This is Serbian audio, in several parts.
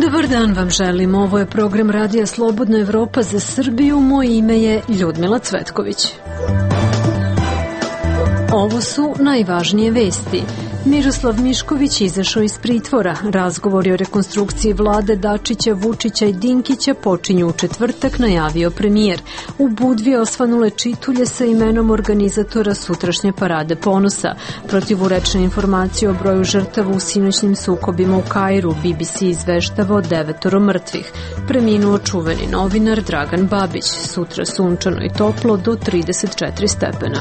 Dobar dan vam želim. Ovo je program Radija Slobodna Evropa za Srbiju. Moje ime je Ljudmila Cvetković. Ovo su najvažnije vesti. Miroslav Mišković izašao iz pritvora. Razgovori o rekonstrukciji vlade Dačića, Vučića i Dinkića počinju u četvrtak, najavio premijer. U Budvi osvanule čitulje sa imenom organizatora sutrašnje parade ponosa. Protivurečne informacije o broju žrtava u sinoćnim sukobima u Kairu. BBC izveštava o 9 mrtvih. Preminuo čuveni novinar Dragan Babić. Sutra sunčano i toplo do 34 stepena.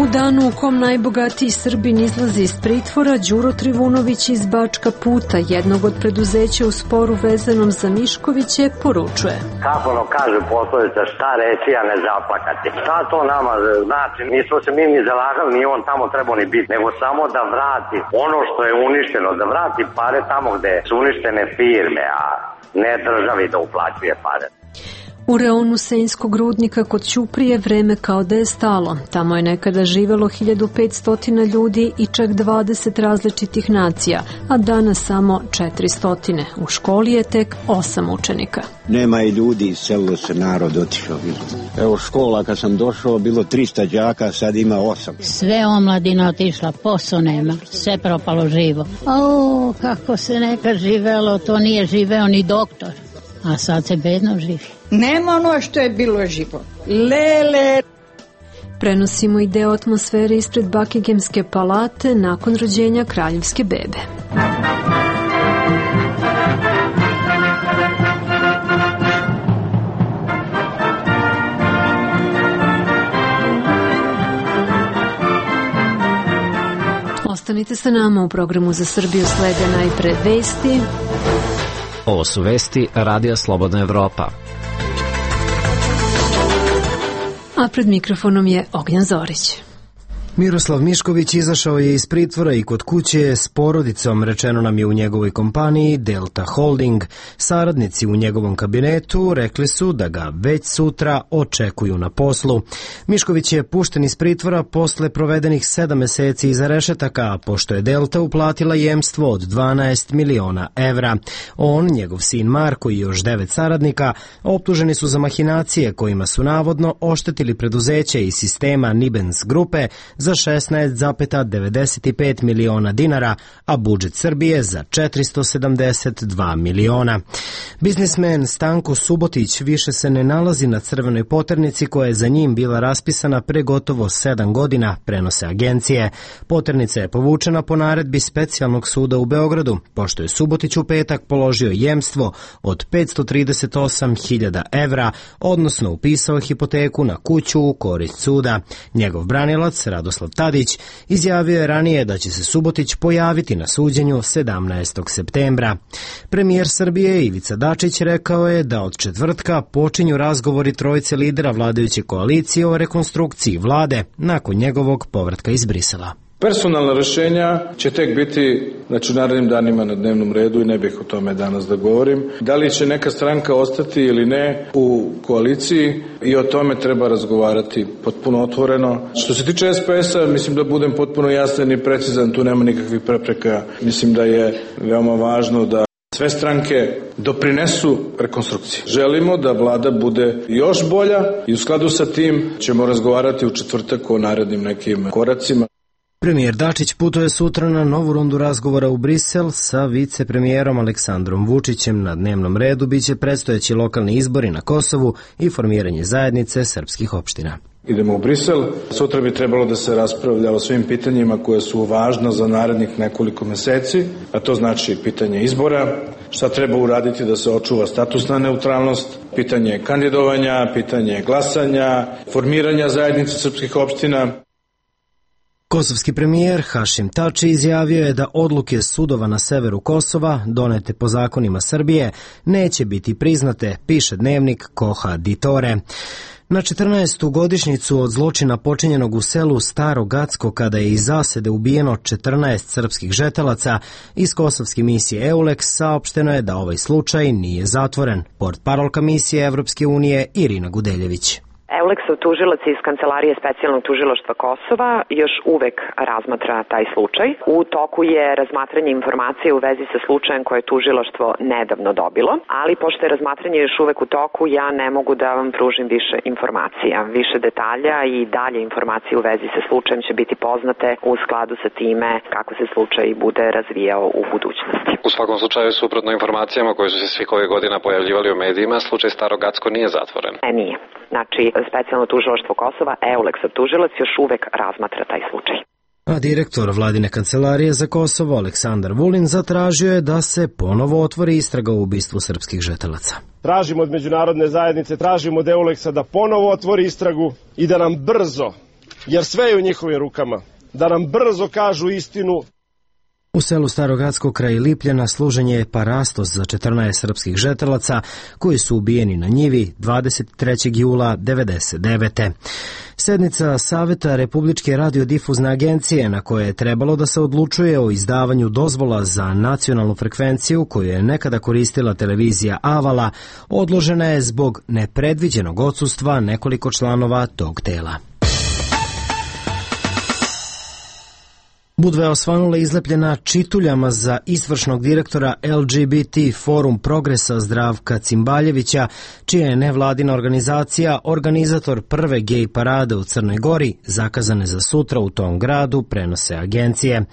U danu u kom najbogatiji Srbin izlazi iz pritvora, Đuro Trivunović iz Bačka Puta, jednog od preduzeća u sporu vezanom za Miškoviće, poručuje. Kako kaže poslovica, šta reći, a ne zaplakati. Šta to nama znači? Nismo se mi ni zalagali, nije on tamo trebao ni biti, nego samo da vrati ono što je uništeno, da vrati pare tamo gde su uništene firme, a ne državi da uplaćuje pare. U reonu Senjskog rudnika kod Ćuprije vreme kao da je stalo. Tamo je nekada živelo 1500 ljudi i čak 20 različitih nacija, a danas samo 400. U školi je tek 8 učenika. Nema i ljudi, selilo se narod, otišao. Evo škola, kad sam došao, bilo 300 đaka, sad ima 8. Sve omladina otišla, posao nema, sve propalo živo. O, kako se nekad živelo, to nije živeo ni doktor. A sad se bedno živi. Nema ono što je bilo živo. Lele. Prenosimo i deo atmosfere ispred Buckinghamske palate nakon rođenja kraljevske bebe. Ostanite sa nama, u programu za Srbiju slede najpre vesti. Ovo su vesti Radija Slobodna Evropa. A pred mikrofonom je Ognjan Zorić. Miroslav Mišković izašao je iz pritvora i kod kuće s porodicom, rečeno nam je u njegovoj kompaniji Delta Holding. Saradnici u njegovom kabinetu rekli su da ga već sutra očekuju na poslu. Mišković je pušten iz pritvora posle provedenih 7 meseci iza rešetaka, pošto je Delta uplatila jemstvo od 12 miliona evra. On, njegov sin Marko i još 9 saradnika optuženi su za mahinacije kojima su navodno oštetili preduzeće iz sistema Nibens grupe za 16,95 miliona dinara, a budžet Srbije za 472 miliona. Biznismen Stanko Subotić više se ne nalazi na crvenoj poternici koja je za njim bila raspisana pre gotovo 7 godina, prenose agencije. Poternica je povučena po naredbi Specijalnog suda u Beogradu, pošto je Subotić u petak položio jemstvo od 538.000 evra, odnosno upisao hipoteku na kuću u korist suda. Njegov branilac, Radoslav Tadić, izjavio je ranije da će se Subotić pojaviti na suđenju 17. septembra. Premijer Srbije Ivica Dačić rekao je da od četvrtka počinju razgovori trojice lidera vladajuće koalicije o rekonstrukciji vlade nakon njegovog povratka iz Brisela. Personalna rešenja će tek biti u narednim danima na dnevnom redu i ne bih o tome danas da govorim. Da li će neka stranka ostati ili ne u koaliciji i o tome treba razgovarati potpuno otvoreno. Što se tiče SPS-a, mislim da budem potpuno jasan i precizan, tu nema nikakvih prepreka. Mislim da je veoma važno da sve stranke doprinesu rekonstrukciji. Želimo da vlada bude još bolja i u skladu sa tim ćemo razgovarati u četvrtak o narednim nekim koracima. Premijer Dačić putuje sutra na novu rundu razgovora u Brisel sa vicepremijerom Aleksandrom Vučićem. Na dnevnom redu biće predstojeći lokalni izbori na Kosovu i formiranje zajednice srpskih opština. Idemo u Brisel. Sutra bi trebalo da se raspravlja o svim pitanjima koje su važna za narednih nekoliko meseci, a to znači pitanje izbora, šta treba uraditi da se očuva statusna neutralnost, pitanje kandidovanja, pitanje glasanja, formiranja zajednice srpskih opština. Kosovski premijer Hašim Tači izjavio je da odluke sudova na severu Kosova, donete po zakonima Srbije, neće biti priznate, piše dnevnik Koha Ditore. Na 14. godišnjicu od zločina počinjenog u selu Staro Gacko, kada je iz zasede ubijeno 14 srpskih žetelaca, iz kosovske misije EULEX saopšteno je da ovaj slučaj nije zatvoren. Portparolka misije Evropske unije Irina Gudeljević. Euleksov tužilac iz Kancelarije specijalnog tužilaštva Kosova još uvek razmatra taj slučaj. U toku je razmatranje informacije u vezi sa slučajem koje je tužilaštvo nedavno dobilo, ali pošto je razmatranje još uvek u toku, ja ne mogu da vam pružim više informacija. Više detalja i dalje informacije u vezi sa slučajem će biti poznate u skladu sa time kako se slučaj bude razvijao u budućnosti. U svakom slučaju, suprotno informacijama koje su se svih ovih godina pojavljivali u medijima, slučaj Staro Gacko nije zatvoren. Nije. Znači, specijalno tužilaštvo Kosova, Euleksov tužilac, još uvek razmatra taj slučaj. A direktor vladine kancelarije za Kosovo, Aleksandar Vulin, zatražio je da se ponovo otvori istraga u ubistvu srpskih žetelaca. Tražimo od međunarodne zajednice, tražimo od Euleksa da ponovo otvori istragu i da nam brzo, jer sve je u njihovim rukama, da nam brzo kažu istinu. U selu Starogradsko kraj Lipljana služen je parastos za 14 srpskih žetelaca koji su ubijeni na njivi 23. jula 1999. Sednica Saveta Republičke radiodifuzne agencije na koje je trebalo da se odlučuje o izdavanju dozvola za nacionalnu frekvenciju koju je nekada koristila televizija Avala odložena je zbog nepredviđenog odsustva nekoliko članova tog tela. Budva je osvanula izlepljena čituljama za izvršnog direktora LGBT Forum Progresa Zdravka Cimbaljevića, čija je nevladina organizacija organizator prve gej parade u Crnoj Gori, zakazane za sutra u tom gradu, prenose agencije.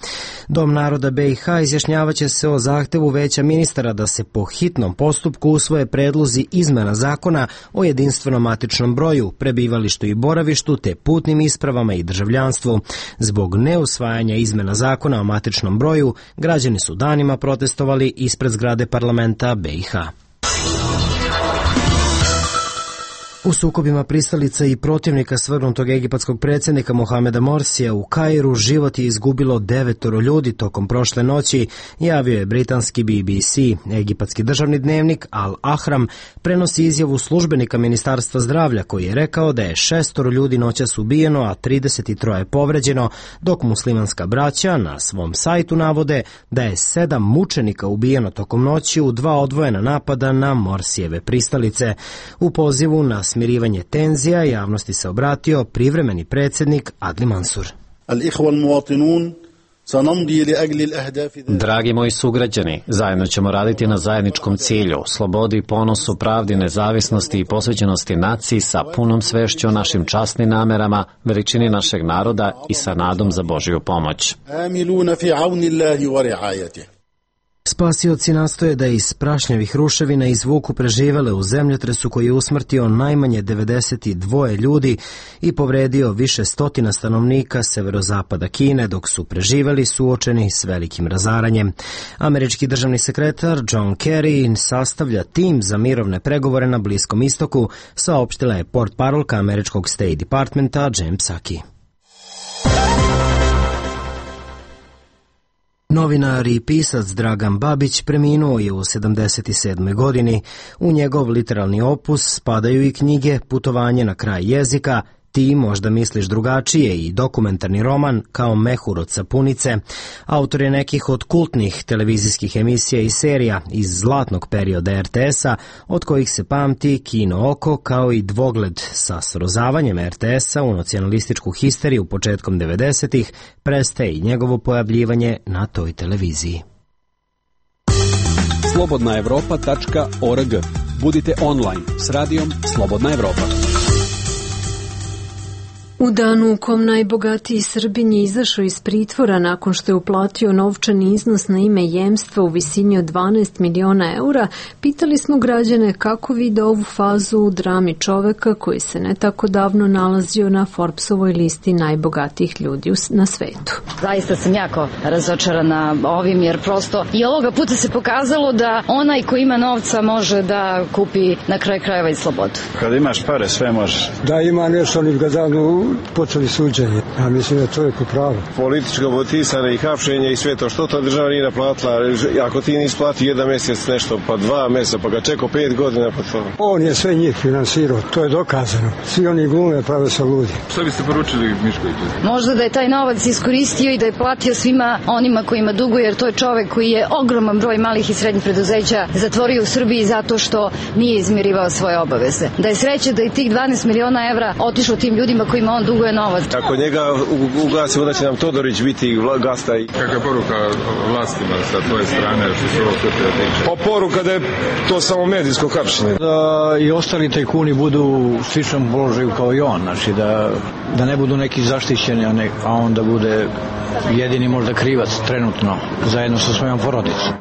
Dom naroda BiH izjašnjavaće se o zahtevu Veća ministara da se po hitnom postupku usvoje predlozi izmena zakona o jedinstvenom matičnom broju, prebivalištu i boravištu te putnim ispravama i državljanstvu. Zbog neusvajanja izmena zakona o matičnom broju, građani su danima protestovali ispred zgrade parlamenta BiH. U sukobima pristalica i protivnika svrgnutog egipatskog predsjednika Mohameda Morsija u Kairu život je izgubilo 9 ljudi tokom prošle noći, javio je britanski BBC. Egipatski državni dnevnik Al Ahram prenosi izjavu službenika Ministarstva zdravlja koji je rekao da je 6 ljudi noćas ubijeno, a 33 povređeno, dok muslimanska braća na svom sajtu navode da je 7 mučenika ubijeno tokom noći u 2 odvojena napada na Morsijeve pristalice. U pozivu na smirivanje tenzija javnosti se obratio privremeni predsjednik Adli Mansur. Dragi moji sugrađani, zajedno ćemo raditi na zajedničkom cilju, slobodi, ponosu, pravdi, nezavisnosti i posvećenosti naciji sa punom svešću o našim časnim namerama, veličini našeg naroda i sa nadom za Božju pomoć. Spasioci nastoje da iz prašnjavih ruševina izvuku preživele u zemljotresu koji je usmrtio najmanje 92 ljudi i povredio više stotina stanovnika severozapada Kine, dok su preživeli suočeni s velikim razaranjem. Američki državni sekretar John Kerry sastavlja tim za mirovne pregovore na Bliskom istoku, saopštila je portparolka američkog State Departmenta Jen Psaki. Novinar i pisac Dragan Babić preminuo je u 77. godini. U njegov literalni opus spadaju i knjige Putovanje na kraj jezika, Ti možda misliš drugačije i dokumentarni roman Kao mehur od sapunice. Autor je nekih od kultnih televizijskih emisija i serija iz zlatnog perioda RTS-a, od kojih se pamti Kino oko kao i Dvogled. Sa srozavanjem RTS-a u nacionalističku histeriju početkom 90-ih prestaje i njegovo pojavljivanje na toj televiziji. Slobodnaevropa.org. Budite online s radijom Slobodna Evropa. U danu u kom najbogatiji Srbin je izašao iz pritvora nakon što je uplatio novčani iznos na ime jemstva u visini od 12 miliona eura, pitali smo građane kako vide ovu fazu u drami čoveka koji se ne tako davno nalazio na Forbesovoj listi najbogatijih ljudi na svetu. Zaista sam jako razočarana ovim, jer prosto i ovoga puta se pokazalo da onaj ko ima novca može da kupi na kraju krajeva i slobodu. Kada imaš pare sve možeš. Da ima nešto, ali ga davno počeli suđenje. Ja mislim da čovjek u pravu. Političko motivisane i hapšenje i sve to, što to država nije naplatila? Ako ti nisi platio jedan mjesec nešto, pa 2 mjeseca, pa ga čekao 5 godina, pa to. On je sve njih finansirao, to je dokazano. Svi oni glume prave sa ludi. Šta biste poručili Miškoviću? Možda da je taj novac iskoristio i da je platio svima onima kojima duguje, jer to je čovek koji je ogroman broj malih i srednjih preduzeća zatvorio u Srbiji zato što nije izmirivao svoje obaveze. Da je sreće da je tih 12 miliona evra otišlo tim ljudima kojima on duguje novac. Ako njega ugasimo da će nam Todorić biti gasta. Kakva poruka vlastima sa tvoje strane što se ovo sve tiče? Pa poruka da je to samo medijsko hapšenje. Da i ostali tajkuni budu u sličnom položaju kao i on, znači da ne budu neki zaštićeni, a on da bude jedini možda krivac trenutno zajedno sa svojom porodicom.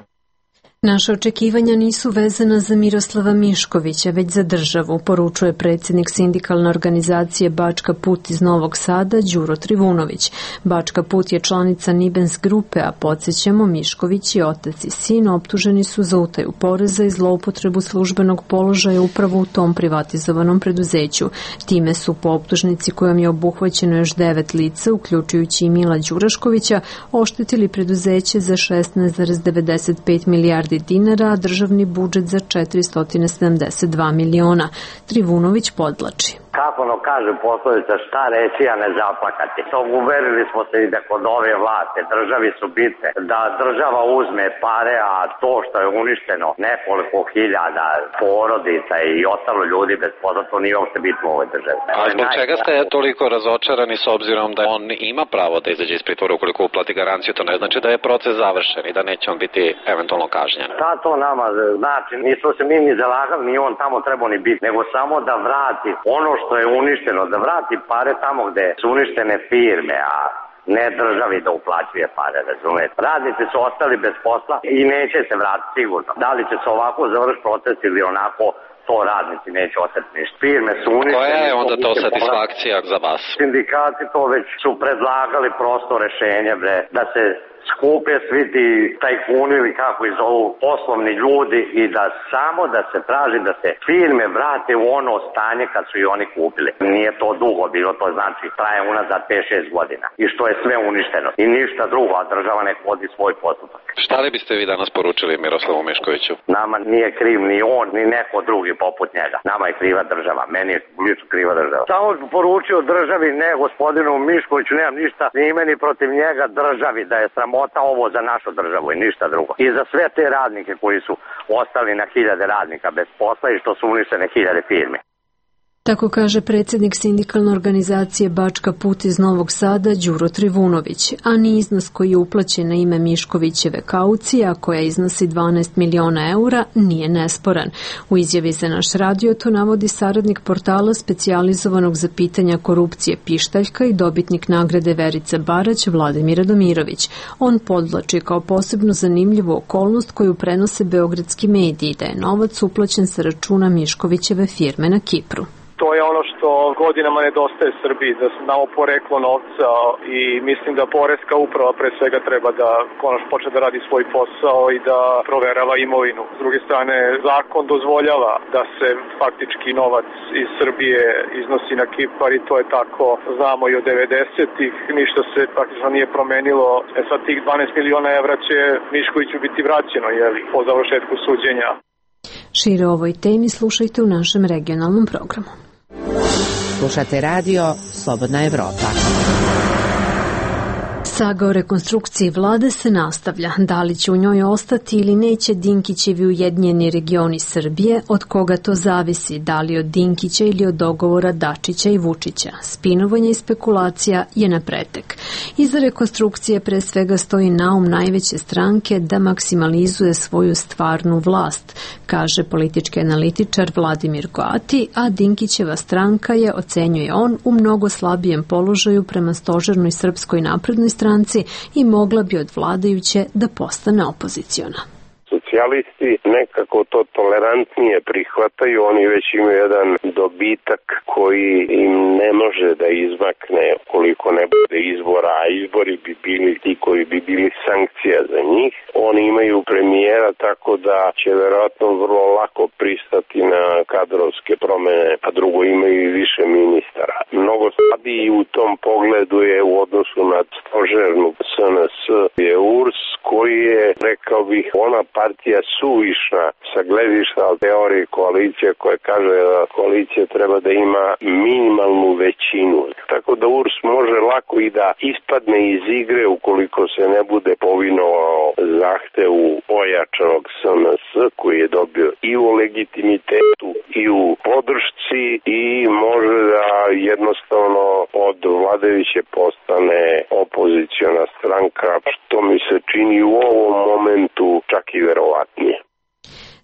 Naša očekivanja nisu vezana za Miroslava Miškovića, već za državu, poručuje predsjednik sindikalne organizacije Bačka Put iz Novog Sada, Đuro Trivunović. Bačka Put je članica Nibens grupe, a podsjećamo, Mišković i otac i sin optuženi su za utaju poreza i zloupotrebu službenog položaja upravo u tom privatizovanom preduzeću. Time su po optužnici kojom je obuhvaćeno još 9 lica, uključujući i Mila Đuraškovića, oštetili preduzeće za 16,95 milijardi dinara, a državni budžet za 472 miliona. Trivunović podvlači. Kako ono kaže poslovica, šta reći, a ne zaplakati. To uverili smo se i da kod ove vlasti državi su bitne, da država uzme pare, a to što je uništeno nekoliko hiljada porodica i ostalo ljudi bez posla, to nije uopšte bitno u ovoj državi. A zbog čega ste toliko razočarani s obzirom da on ima pravo da izađe iz pritvora ukoliko uplati garanciju? To ne znači da je proces završen i da neće on biti eventualno kažnjen. Šta to nama znači? Nismo se mi ni zalagali, ni on tamo trebao ni biti, nego samo da vrati ono što je uništeno, da vrati pare tamo gde su uništene firme, a ne državi da uplaćuje pare, razumete. Radnici su ostali bez posla i neće se vratiti sigurno. Da li će se ovako završiti proces ili onako, to radnici neće ostati ništa. Firme su uništene. Koja je onda to satisfakcija za vas? Sindikati to već su predlagali prosto rešenje, da se skupe svi ti tajkuni ili kako ih zovu poslovni ljudi i da se traži da se firme vrate u ono stanje kad su i oni kupili. Nije to dugo bilo, to znači traje unazad 5-6 godina i što je sve uništeno i ništa drugo, a država nek vodi svoj postupak. Šta li biste vi danas poručili Miroslavu Miškoviću? Nama nije kriv ni on, ni neko drugi poput njega. Nama je kriva država, meni je lično kriva država. Samo poručio državi, ne gospodinu Miškoviću, nemam ništa ni ime ni protiv njega, državi, da je sramota ovo za našu državu i ništa drugo. I za sve te radnike koji su ostali na hiljade radnika bez posla i što su uništene hiljade firme. Tako kaže predsjednik sindikalne organizacije Bačka Put iz Novog Sada, Đuro Trivunović, a ni iznos koji je uplaćen na ime Miškovićeve kaucije, a koja iznosi 12 miliona eura, nije nesporan. U izjavi za naš radio to navodi saradnik portala specijalizovanog za pitanja korupcije Pištaljka i dobitnik nagrade Verice Barać, Vladimir Radomirović. On podvlači kao posebno zanimljivu okolnost koju prenose beogradski mediji, da je novac uplaćen sa računa Miškovićeve firme na Kipru. To je ono što godinama nedostaje Srbiji, da znamo poreklo novca i mislim da poreska uprava pre svega treba da konačno počne da radi svoj posao i da proverava imovinu. S druge strane, zakon dozvoljava da se faktički novac iz Srbije iznosi na Kipar i to je tako, znamo i od 90-ih, ništa se praktično nije promenilo. Sad tih 12 miliona evra će Miškoviću biti vraćeno, po završetku suđenja. Šire o ovoj temi slušajte u našem regionalnom programu. Slušate radio Slobodna Evropa. Saga o rekonstrukciji vlade se nastavlja. Da li će u njoj ostati ili neće Dinkićevi Ujedinjeni regioni Srbije, od koga to zavisi, da li od Dinkića ili od dogovora Dačića i Vučića. Spinovanje i spekulacija je na pretek. Iza rekonstrukcije pre svega stoji naum najveće stranke da maksimalizuje svoju stvarnu vlast, kaže politički analitičar Vladimir Goati, a Dinkićeva stranka je, ocenjuje on, u mnogo slabijem položaju prema stožernoj Srpskoj naprednoj stranci i mogla bi od vladajuće da postane opoziciona. socijalisti nekako to tolerantnije prihvataju, oni već imaju jedan dobitak koji im ne može da izmakne koliko ne bude izbora, a izbori bi bili ti koji bi bili sankcija za njih. Oni imaju premijera, tako da će verovatno vrlo lako pristati na kadrovske promene, a drugo imaju i više ministara. Mnogo slabiji u tom pogledu je u odnosu na stožernu SNS je URS, koji je, rekao bih, ona partija suvišna sa gledišta teorije koalicije koja kaže da koalicija treba da ima minimalnu većinu. Tako da URS može lako i da ispadne iz igre ukoliko se ne bude povinovao zahtevu ojačanog SNS koji je dobio i u legitimitetu i u podršci i može da jednostavno od vladajuće postane opoziciona stranka, što mi se čini u ovom momentu čak i verovatnije.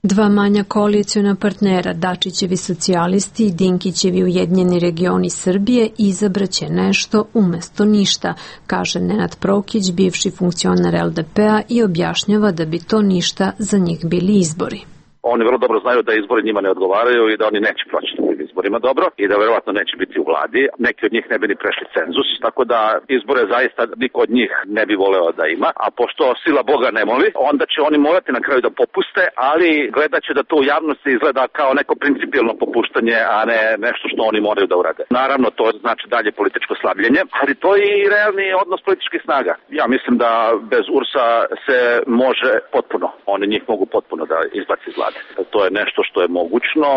Dva manja koaliciona partnera, Dačićevi socijalisti i Dinkićevi Ujedinjeni regioni Srbije, izabraće nešto umesto ništa, kaže Nenad Prokić, bivši funkcioner LDP-a, i objašnjava da bi to ništa za njih bili izbori. Oni vrlo dobro znaju da izbori njima ne odgovaraju i da oni neće proći na tim izborima dobro i da verovatno neće biti u vladi. Neki od njih ne bi ni prešli cenzus, tako da izbore zaista niko od njih ne bi voleo da ima. A pošto sila Boga ne moli, onda će oni morati na kraju da popuste, ali gledat će da to u javnosti izgleda kao neko principijelno popuštanje, a ne nešto što oni moraju da urade. Naravno, to znači dalje političko slabljenje, ali to je i realni odnos političkih snaga. Ja mislim da bez URS-a se može potpuno, oni njih mogu potpuno da izbaci iz vlade. To je nešto što je mogućno,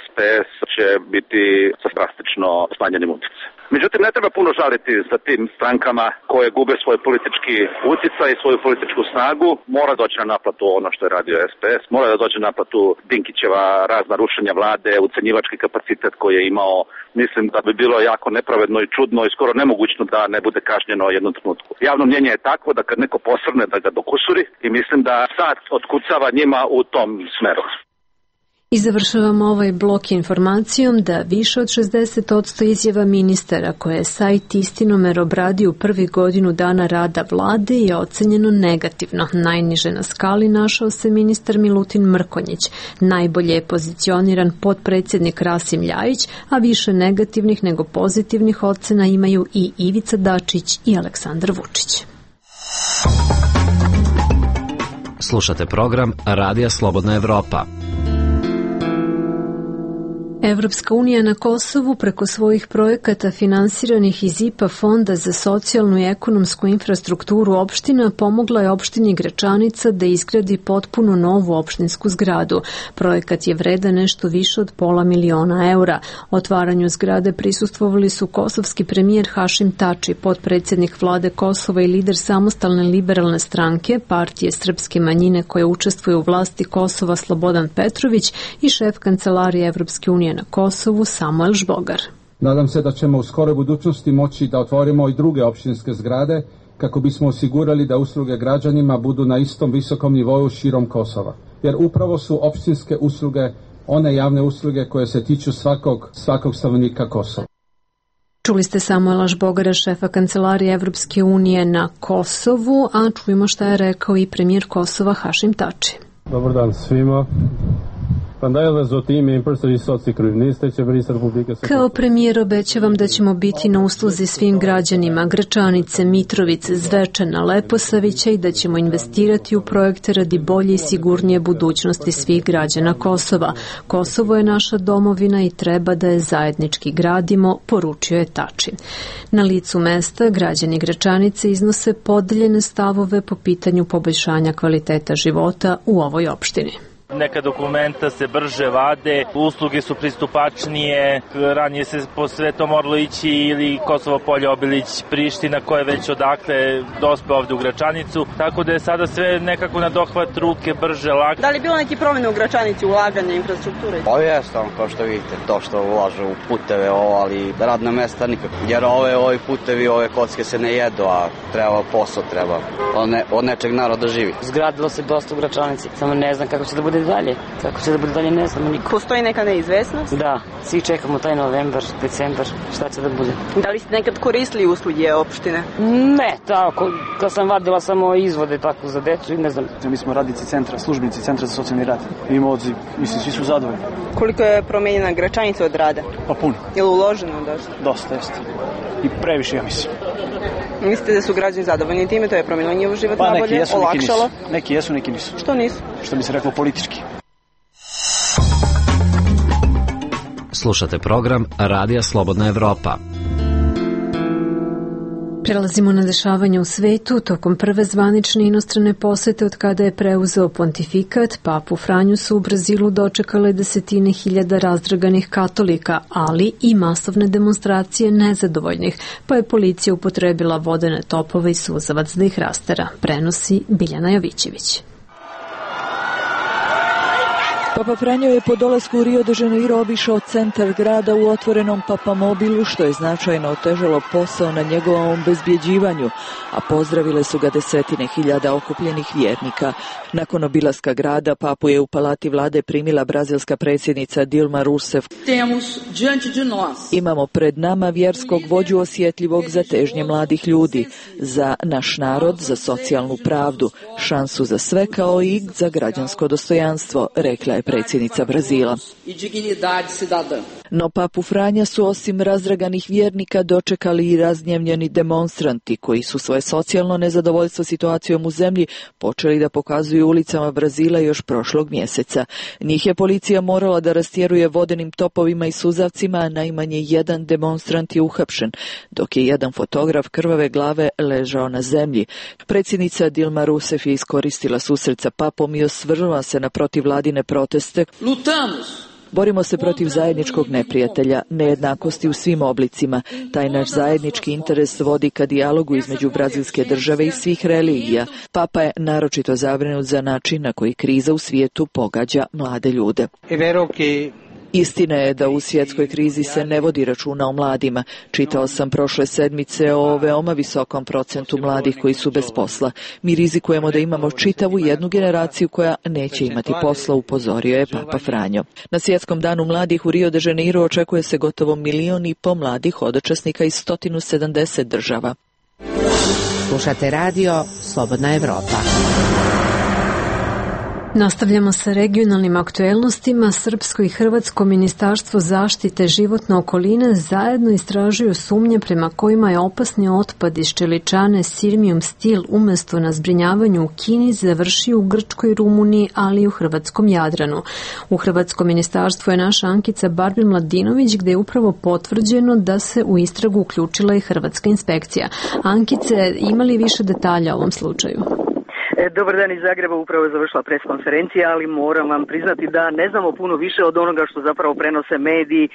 SPS će biti sa drastično smanjenim utjecajem. Međutim, ne treba puno žaliti za tim strankama koje gube svoj politički utjecaj i svoju političku snagu. Mora doći na naplatu ono što je radio SPS, mora da doći na naplatu Dinkićeva razna rušenja vlade, ucenjivački kapacitet koji je imao. Mislim da bi bilo jako nepravedno i čudno i skoro nemogućno da ne bude kažnjeno u jednom trenutku. Javno mnjenje je takvo da kad neko posrne da ga dokusuri i mislim da sad otkucava njima u tom smeru. I završavamo ovaj blok informacijom da više od 60% izjava ministara koje je sajt Istinomer obradio u prvi godinu dana rada vlade je ocenjeno negativno. Najniže na skali našao se ministar Milutin Mrkonjić. Najbolje je pozicioniran potpredsjednik Rasim Ljajić, a više negativnih nego pozitivnih ocena imaju i Ivica Dačić i Aleksandar Vučić. Slušate program Radija Slobodna Evropa. Evropska unija na Kosovu preko svojih projekata finansiranih iz IPA fonda za socijalnu i ekonomsku infrastrukturu opština pomogla je opštini Gračanica da izgradi potpuno novu opštinsku zgradu. Projekat je vredan nešto više od $500.000 eura. Otvaranju zgrade prisustvovali su kosovski premijer Hašim Tači, potpredsjednik vlade Kosova i lider samostalne liberalne stranke, partije srpske manjine koje učestvuju u vlasti Kosova Slobodan Petrović i šef kancelarije Evropske unije na Kosovu Samuel Žbogar. Nadam se da ćemo u skoroj budućnosti moći da otvorimo i druge opštinske zgrade kako bismo osigurali da usluge građanima budu na istom visokom nivou širom Kosova. Jer upravo su opštinske usluge one javne usluge koje se tiču svakog stanovnika Kosova. Čuli ste Samuela Žbogara, šefa kancelarije Evropske unije na Kosovu, a čujemo šta je rekao i premijer Kosova Hašim Tači. Dobar dan svima. Kao premijer obećavam da ćemo biti na usluzi svim građanima Gračanice, Mitrovice, Zvečana, Leposavića i da ćemo investirati u projekte radi bolje i sigurnije budućnosti svih građana Kosova. Kosovo je naša domovina i treba da je zajednički gradimo, poručio je Tači. Na licu mesta građani Gračanice iznose podeljene stavove po pitanju poboljšanja kvaliteta života u ovoj opštini. Neka dokumenta se brže vade, usluge su pristupačnije, ranije se po sve to moralo ići ili Kosovo Polje, Obilić, Priština koja je već odakle dospe ovde u Gračanicu, tako da je sada sve nekako na dohvat ruke, brže, lako. Da li je bilo neki promjene u Gračanici, ulaganje infrastrukture? Ovo jeste, kao što vidite, to što ulažu u puteve, ali radna mesta nikako. Jer ovi putevi, ove kocke se ne jedu, a treba posao, treba od nečeg naroda živi. Zgradilo se dosta u Gračanici, samo ne znam kako će da bude bude dalje. Kako će da bude dalje, ne znamo niko. Postoji neka neizvesnost? Da, svi čekamo taj novembar, decembar, šta će da bude. Da li ste nekad koristili usluge opštine? Ne, tako, kad sam vadila samo izvode tako za decu i ne znam. Mi smo radnici centra, službenici centra za socijalni rad. Imamo odziv, mislim, svi su zadovoljni. Koliko je promenjena Gračanica od rada? Pa puno. Je li uloženo dosta? Dosta, jeste. I previše, ja mislim. Mislite da su građani zadovoljni time, to je promenilo njihov život nabolje, neki jesu, olakšalo? Neki jesu, neki nisu. Što nisu? Što bi se reklo politički. Slušate program Radija Slobodna Evropa. Prelazimo na dešavanje u svetu. Tokom prve zvanične inostrane posete od kada je preuzeo pontifikat, papu Franju su u Brazilu dočekale desetine hiljada razdraganih katolika, ali i masovne demonstracije nezadovoljnih, pa je policija upotrebila vodene topove i suzavac da ih rastera, prenosi Biljana Jovićević. Papa Franjo je po dolasku u Rio de Janeiro obišao centar grada u otvorenom papamobilu, što je značajno otežalo posao na njegovom obezbjeđivanju, a pozdravile su ga desetine hiljada okupljenih vjernika. Nakon obilaska grada, papu je u palati vlade primila brazilska predsjednica Dilma Rousseff. Imamo pred nama vjerskog vođu osjetljivog za težnje mladih ljudi, za naš narod, za socijalnu pravdu, šansu za sve kao i za građansko dostojanstvo, rekla je predsjednica Brazila. No papu Franja su osim razdraganih vjernika dočekali i razgnjevljeni demonstranti koji su svoje socijalno nezadovoljstvo situacijom u zemlji počeli da pokazuju ulicama Brazila još prošlog mjeseca. Njih je policija morala da rastjeruje vodenim topovima i suzavcima, a najmanje jedan demonstrant je uhapšen, dok je jedan fotograf krvave glave ležao na zemlji. Predsjednica Dilma Rousseff je iskoristila susret sa papom i osvrnula se na protivvladine proteste. Borimo se protiv zajedničkog neprijatelja, nejednakosti u svim oblicima. Taj naš zajednički interes vodi ka dijalogu između brazilske države i svih religija. Papa je naročito zabrinut za način na koji kriza u svijetu pogađa mlade ljude. Istina je da u svjetskoj krizi se ne vodi računa o mladima. Čitao sam prošle sedmice o veoma visokom procentu mladih koji su bez posla. Mi rizikujemo da imamo čitavu jednu generaciju koja neće imati posla, upozorio je Papa Franjo. Na svjetskom danu mladih u Rio de Janeiro očekuje se gotovo 1,5 miliona mladih hodočasnika iz 170 država. Slušate radio Slobodna Evropa. Nastavljamo sa regionalnim aktuelnostima. Srpsko i Hrvatsko ministarstvo zaštite životne okoline zajedno istražuju sumnje prema kojima je opasni otpad iz čeličane Sirmium Steel umjesto na zbrinjavanju u Kini završio u Grčkoj i Rumuniji, ali i u hrvatskom Jadranu. U Hrvatsko ministarstvo je naša Ankica Barbin Mladinović, gde je upravo potvrđeno da se u istragu uključila i hrvatska inspekcija. Ankice, ima li više detalja o ovom slučaju? Dobar dan iz Zagreba, upravo je završila preskonferencija, ali moram vam priznati da ne znamo puno više od onoga što zapravo prenose mediji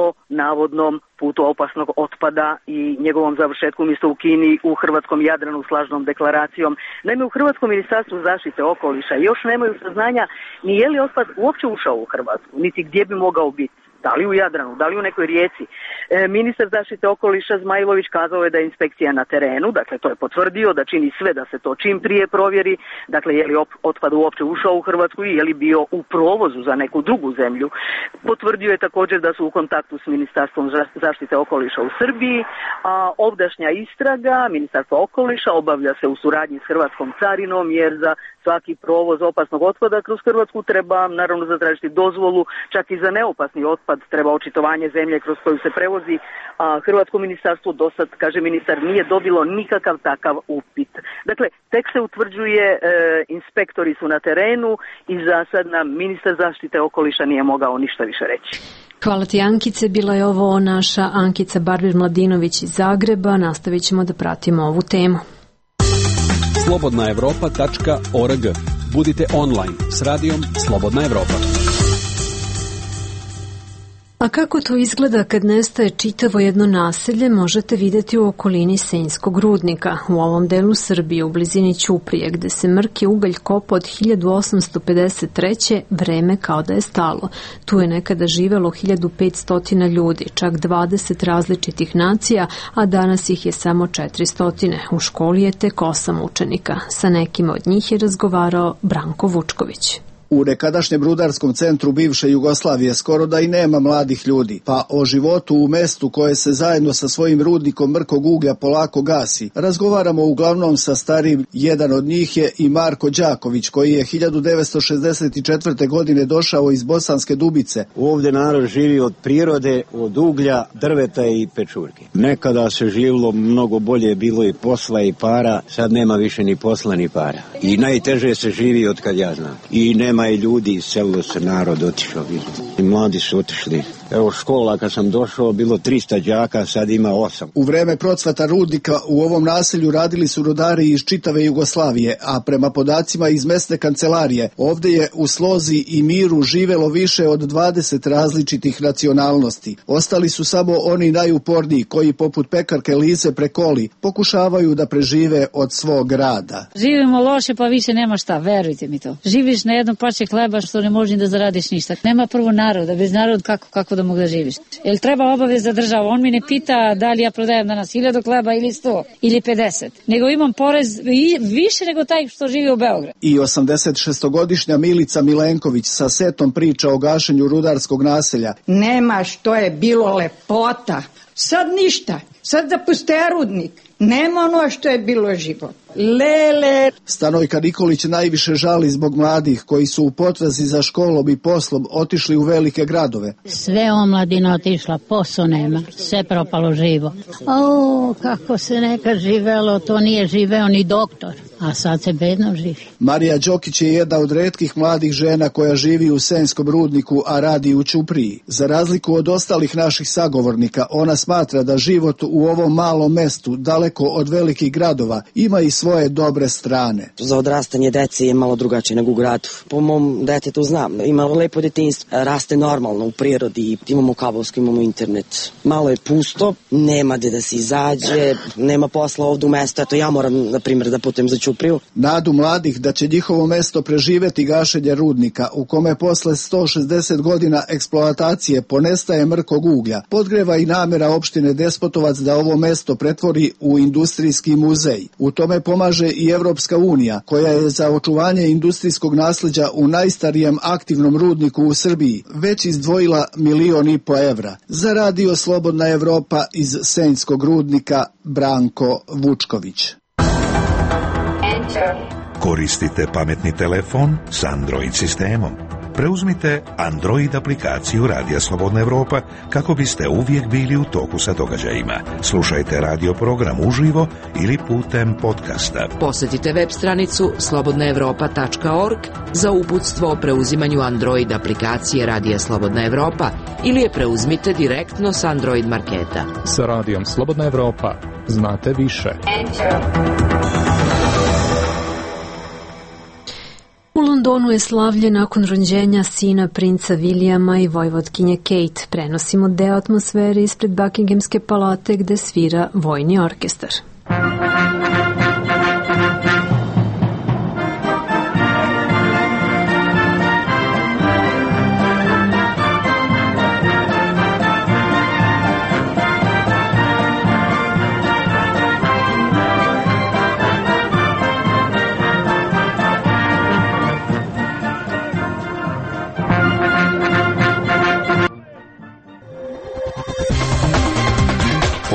o navodnom putu opasnog otpada i njegovom završetku umjesto u Kini u hrvatskom Jadranu slažnom deklaracijom. Naime, u Hrvatskom ministarstvu zaštite okoliša još nemaju saznanja ni je li otpad uopće ušao u Hrvatsku, niti gdje bi mogao biti. Da li u Jadranu, da li u nekoj rijeci. Ministar zaštite okoliša Zmajlović kazao je da je inspekcija na terenu, dakle to je potvrdio, da čini sve da se to čim prije provjeri, dakle je li otpad uopće ušao u Hrvatsku i je li bio u provozu za neku drugu zemlju. Potvrdio je također da su u kontaktu s Ministarstvom zaštite okoliša u Srbiji, a ovdašnja istraga Ministarstva okoliša obavlja se u suradnji s Hrvatskom carinom, jer za svaki provoz opasnog otpada kroz Hrvatsku treba naravno zatražiti dozvolu, čak i za neopasni otpad treba očitovanje zemlje kroz koju se prevozi, a Hrvatsko ministarstvo dosad, kaže ministar, nije dobilo nikakav takav upit. Dakle, tek se utvrđuje, inspektori su na terenu i za sad nam ministar zaštite okoliša nije mogao ništa više reći. Hvala ti, Ankice. Bila je ovo naša Ankica Barbir Mladinović iz Zagreba. Nastavit ćemo da pratimo ovu temu. slobodnaevropa.org. Budite online s radijom Slobodna Evropa. A kako to izgleda kad nestaje čitavo jedno naselje, možete vidjeti u okolini Senjskog rudnika. U ovom delu Srbije, u blizini Ćuprije, gde se mrki ugalj kopa od 1853. vreme kao da je stalo. Tu je nekada živelo 1500 ljudi, čak 20 različitih nacija, a danas ih je samo 400. U školi je tek 8 učenika. Sa nekima od njih je razgovarao Branko Vučković. U nekadašnjem rudarskom centru bivše Jugoslavije skoro da i nema mladih ljudi, pa o životu u mestu koje se zajedno sa svojim rudnikom mrkog uglja polako gasi razgovaramo uglavnom sa starijim. Jedan od njih je i Marko Đaković, koji je 1964. godine došao iz Bosanske Dubice. Ovdje narod živi od prirode, od uglja, drveta i pečurke. Nekada se živilo mnogo bolje, bilo i posla i para, sad nema više ni posla ni para. I najteže se živi od kad ja znam. I nema i ljudi, iselilo se narod, otišao. I mladi su otišli. Evo škola kad sam došao bilo 300 đaka, sad ima 8. U vreme procvata rudnika u ovom naselju radili su rudari iz čitave Jugoslavije, a prema podacima iz mesne kancelarije ovdje je u slozi i miru živelo više od 20 različitih nacionalnosti. Ostali su samo oni najuporniji koji poput pekarke Lize Prekoli pokušavaju da prežive od svog rada. Živimo loše pa više nema šta, verujte mi to. Živiš na jednom parče hleba što ne možeš da zaradiš ništa. Nema prvo naroda, bez naroda kako da mogu da živiš. Jel treba obaveza država? On mi ne pita da li ja prodajem danas 1000 hleba ili 100 ili 50. Nego imam porez više nego taj što živi u Beogradu. I 86-godišnja Milica Milenković sa setom priča o gašenju rudarskog naselja. Nema što je bilo lepota. Sad ništa. Sad da puste rudnik. Nema ono što je bilo život. Lele. Stanojka Nikolić najviše žali zbog mladih koji su u potrazi za školom i poslom otišli u velike gradove. Sve omladina otišla, posao nema, sve propalo živo. O, kako se nekad živelo, to nije živeo ni doktor, a sad se bedno živi. Marija Đokić je jedna od retkih mladih žena koja živi u Senjskom rudniku, a radi u Ćupriji. Za razliku od ostalih naših sagovornika, ona smatra da život u ovom malom mestu, daleko od velikih gradova, ima i svoje dobre strane. Za odrastanje dece je malo drugačije nego u gradu. Po mom detetu znam, ima lepo detinjstvo, raste normalno u prirodi, imamo kablovsko, imamo internet. Malo je pusto, nema gde da se izađe, nema posla ovdje u mestu, eto ja moram, na primjer, da putujem za Ćupriju. Nadu mladih da će njihovo mesto preživeti gašenje rudnika, u kome posle 160 godina eksploatacije ponestaje mrkog uglja, podgreva i namera opštine Despotovac da ovo mesto pretvori u industrijski muzej. U tome pomaže i Evropska unija, koja je za očuvanje industrijskog nasleđa u najstarijem aktivnom rudniku u Srbiji već izdvojila 1,5 miliona evra. Za Radio Slobodna Evropa iz Senjskog rudnika, Branko Vučković. Koristite pametni telefon s Android sistemom. Preuzmite Android aplikaciju Radija Slobodna Evropa kako biste uvijek bili u toku sa događajima. Slušajte radio program uživo ili putem podcasta. Posjetite web stranicu slobodnaevropa.org za uputstvo o preuzimanju Android aplikacije Radija Slobodna Evropa ili je preuzmite direktno s Android marketa. Sa Radijom Slobodna Evropa znate više. U Londonu je slavlje nakon rođenja sina princa Vilijama i vojvodkinje Kate. Prenosimo deo atmosfere ispred Buckinghamske palate gde svira vojni orkestar.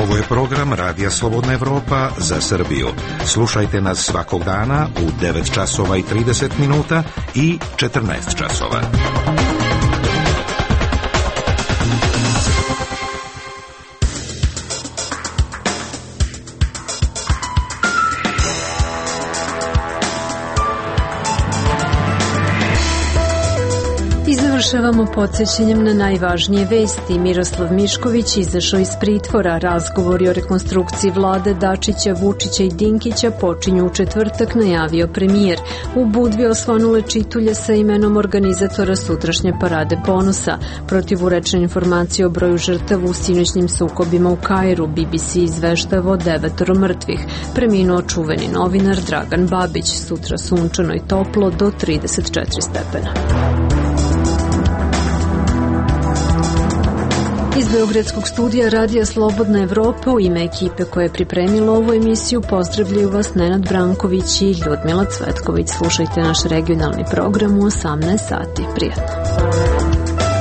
Ovo je program Radija Slobodna Evropa za Srbiju. Slušajte nas svakog dana u 9 časova i 30 minuta i 14 časova. Završavamo podsjećanjem na najvažnije vesti. Miroslav Mišković izašao iz pritvora. Razgovori o rekonstrukciji vlade Dačića, Vučića i Dinkića počinju u četvrtak, najavio premijer. U Budvi osvanule čitulje sa imenom organizatora sutrašnje parade ponosa. Protivurečne informacije o broju žrtava u sinoćnim sukobima u Kairu. BBC izveštava o 9 mrtvih. Preminuo čuveni novinar Dragan Babić. Sutra sunčano i toplo do 34 stepena. Iz Beogradskog studija Radija Slobodna Evropa u ime ekipe koja je pripremila ovu emisiju pozdravljaju vas Nenad Branković i Ljudmila Cvetković. Slušajte naš regionalni program u 18 sati. Prijatno.